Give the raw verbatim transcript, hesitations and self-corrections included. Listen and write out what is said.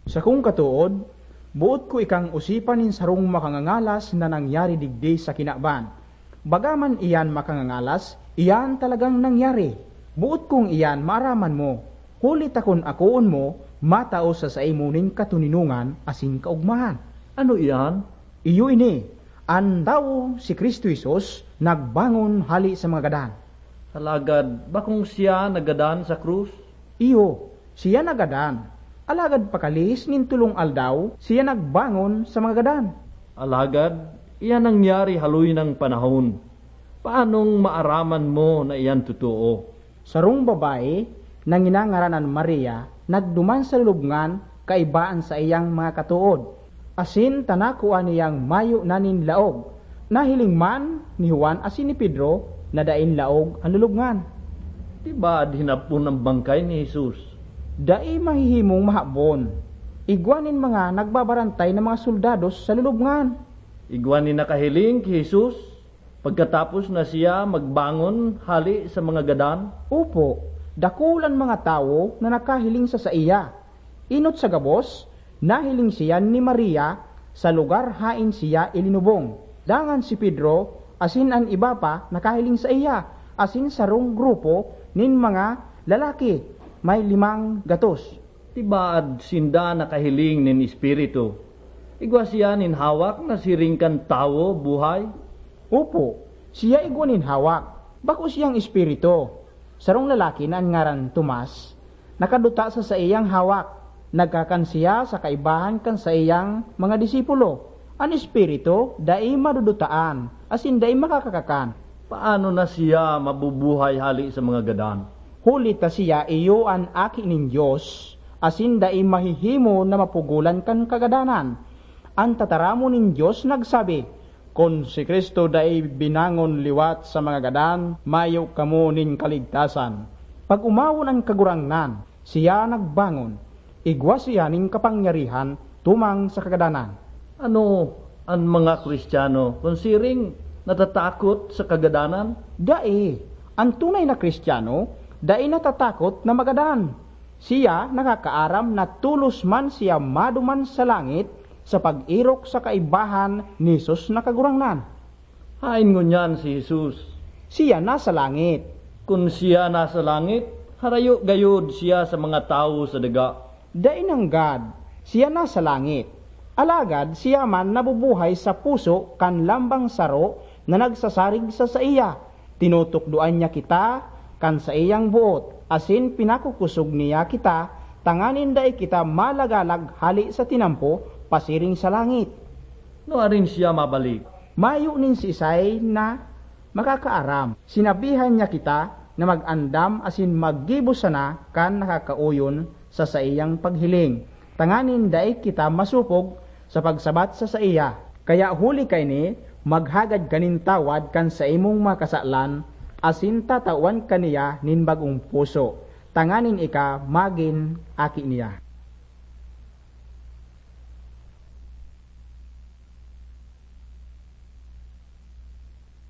Sakong katood, boot ko ikang osipan nin sarong makangangalas na nangyari digdi sa kinaban. Baga man iyan makangangalas, iyan talagang nangyari. Boot kong iyan maaraman mo, huli ta kun akoon mo, matao sa saimo nin katoninongan asin kaogmahan. Ano iyan? Iyo ini, an tawo, si Cristo Jesus, nagbangon hali sa mga gadan. Alagad bakong siya nagadan sa krus? Iyo, siya nagadan. Alagad pakalihis nin tolong aldaw, siya nagbangon sa mga gadan. Alagad, iyan nangyari haloy nang panahon. Paanong maaraman mo na iyan totoo? Sarong babayi na nginangaranan Maria nagduman sa lulubngan kaiba an saiyang mga katood, asin ta nakua niyang mayo na nin laog. Nahiling man ni Juan asin ni Pedro na daing laog an lulubngan. Di ba hinapon an bangkay ni Jesus? Dai mahihimong mahabon. Igwa nin mga nagbabarantay na mga soldados sa lulubngan. Igwa nin nakahiling ki Jesus pagkatapos na siya magbangon hali sa mga gadan? Opo, dakul an mga tawo na nakahiling sa saiya. Enot sa gabos, nahiling siya ni Maria sa lugar haen siya ilinubong. Dangan si Pedro asin an iba pa nakahiling saiya, asin sarong grupo nin mga lalaki, may limang gatos. Tibaad sinda nakahiling nin espiritu. Igwa siya nin hawak na siring kan tawo buhay? Opo, siya igwa nin hawak. Bako siyang espiritu. Sarong lalaki na an ngaran Tomas, nakaduta sa saiyang hawak. Nagkakan siya sa kaibahan kan saiyang mga disipulo. An espiritu dai madudutaan, asin dai makakakakan. Paano na siya mabubuhay hali sa mga gadan? Huli ta siya iyo an Aki nin Dios, asin dai mahihimo na mapugolan kan kagadanan. An tataramon nin Dios nagsabi, "Kun si Cristo dai binangon liwat sa mga gadan, mayo kamo nin kaligtasan." Pag-omawon an Kagurangnan, siya nagbangon. Igwa siya nin kapangyarihan tumang sa kagadanan. Ano an mga Kristiyano kun siring natatakot sa kagadanan? Dai. An tunay na Kristiyano dai natatakot na magadan. Siya nakakaaram na tolos man siya maduman sa langit sa pag-erok sa kaibahan ni Jesus na Kagurangnan. Haen ngunyan si Jesus? Siya nasa langit. Kun siya nasa langit, harayo gayod siya sa mga tawo sa daga. Dai nanggad, siya nasa langit. Alagad siya man nabubuhay sa puso kan lambang saro na nagsasarig sa saiya. Tinutukdoan niya kita kan saiyang boot, asin pinakukosog niya kita tanganing dai kita malagalag hale sa tinampo pasiring sa langit. Nuarin siya mabalik? Mayo nin siisay na makakaaram. Sinabihan niya kita na mag-andam asin maggibo sana kan nakakaoyon sa saiyang paghiling, tanganing dai kita masopog sa pagsabat sa saiya. Kaya huli kaini, maghagad ka nin tawad kan saimong mga kasalan asin tatawan ka niya nin bagong puso, tanganing ika magin aki niya.